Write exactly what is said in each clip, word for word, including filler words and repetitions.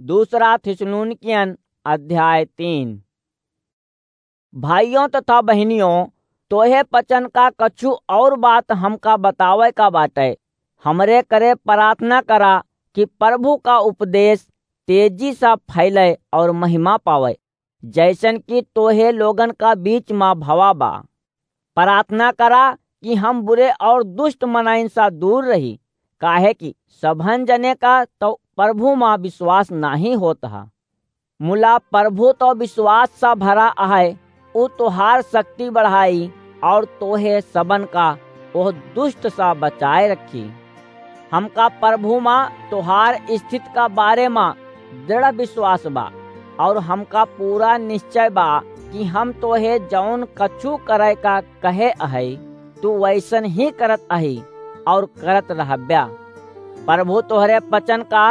दूसरा थिस्सलुनीकियन अध्याय तीन। भाइयों तथा बहिनियों, तोहे पचन का कछु और बात हमका बतावे का बाटे। हमरे करे प्रार्थना करा कि प्रभु का उपदेश तेजी से फैले और महिमा पावे, जैसन कि तोहे लोगन का बीच मा भवा बा। प्रार्थना करा कि हम बुरे और दुष्ट मनइन सा दूर रही, काहे कि सबहन जने का तो प्रभु मा विश्वास नाही होत हा। मुला प्रभु तो विश्वास सा भरा आहे, उ तोहार शक्ति बढ़ाई और तोहे सबन का ओह दुष्ट सा बचाए रखी। हमका प्रभु मा तोहार स्थिति का बारे मा दृढ़ विश्वास बा और हमका पूरा निश्चय बा कि हम तोहे जौन कछु करे का कहे अहई, तू वैसन ही करत अही और करत रहब्या। प्रभु तोहरे पचन का,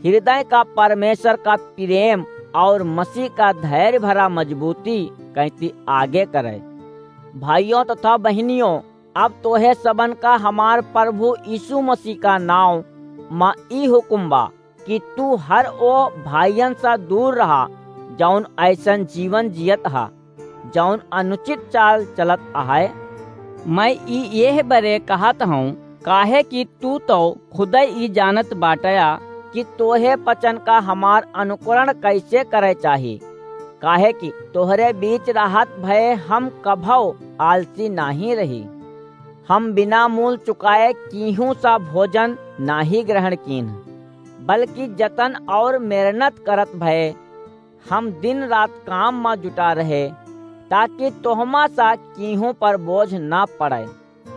हृदय का परमेश्वर का प्रेम और मसीह का धैर्य भरा मजबूती कहती आगे करे। भाइयों तथा बहिनियों, अब तोहे सबन का हमार प्रभु यीशु मसीह का नाव मा ई हुकुम बा कि तू हर ओ भाइयन सा दूर रहा, जौन ऐसन जीवन जियत हा, जौन अनुचित चाल चलत आहे। मैं ई एह बरे कहत हूँ, काहे कि तू तो खुदै ई जानत बाटया कि तोहे पचन का हमार अनुकरण कैसे करे चाही, काहे कि तोहरे बीच रहत भये हम कभौ आलसी नाही रही। हम बिना मूल चुकाए कीहू सा भोजन नाही ग्रहण कीन, बल्कि जतन और मेहनत करत भये हम दिन रात काम मा जुटा रहे, ताकि तोहमा सा कीहू पर बोझ ना पड़े।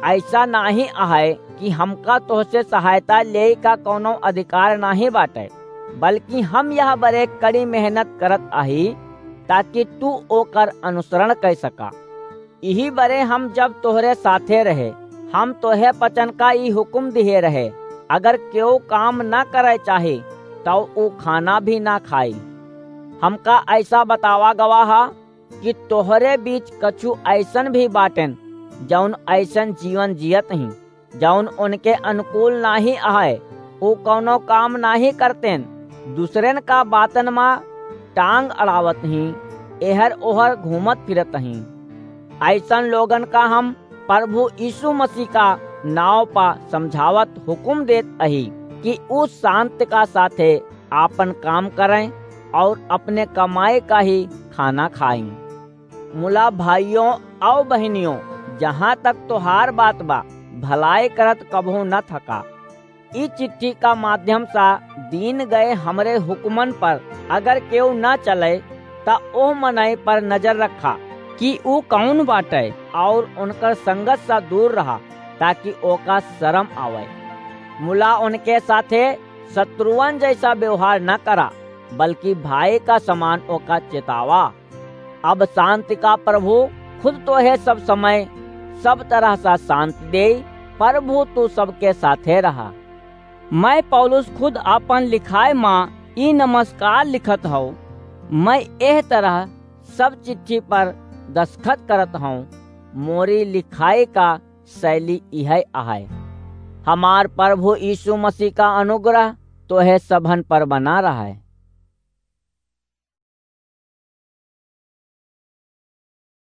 ऐसा नाही आहे कि हमका तोहसे सहायता लेई का कौनो अधिकार नाही बाटे, बल्कि हम यह बरे कड़ी मेहनत करत अही, ताकि तू ओकर अनुसरण कर सका। इही बरे हम जब तोहरे साथे रहे, हम तोहे पचन का ई हुकुम दिहे रहे, अगर केहू काम ना करे चाही, तौ ऊ खाना भी ना खाई। हमका ऐसा बतावा गवा हा कि तोहरे बीच कछु ऐसन भी बाटेन, जौन ऐसन जीवन जियत ही, जौन उनके अनुकूल नाही आहे, ऊ कौनो काम नाही करतेन, दूसरेन का बातन मा टांग अड़ावत ही, एहर ओहर घूमत फिरत ही। ऐसन लोगन का हम प्रभु यीशु मसीह का नाव पा समझावत हुकुम देत अही कि ऊ शांत का साथे आपन काम करें और अपने कमाई का ही खाना खाएं। मुला भाइयों और बहिनियों, जहाँ तक तोहार बात बा, भलाई करत कबहू न थका। ई चिट्ठी का माध्यम सा दीन गए हमरे हुक्मन पर अगर केहू न चले, त ओह मनई पर नजर रखा कि ऊ कौन बाटे और उनकर संगत सा दूर रहा, ताकि ओका शर्म आवे। मुला उनके साथे शत्रुअन जैसा व्यवहार न करा, बल्कि भाई का समान ओका चेतावा। अब शांति का प्रभु खुद तोहे सब समय सब तरह सा शांति दे। प्रभु तू सबके साथे रहा। मैं पौलुस खुद आपन लिखाए मा ई नमस्कार लिखत हौ। मैं एह तरह सब चिट्ठी पर दस्तखत करत हौ। मोरी लिखाई का शैली इहै अहै। हमार प्रभु यीशु मसीह का अनुग्रह तोहे सबहन पर बना रहै।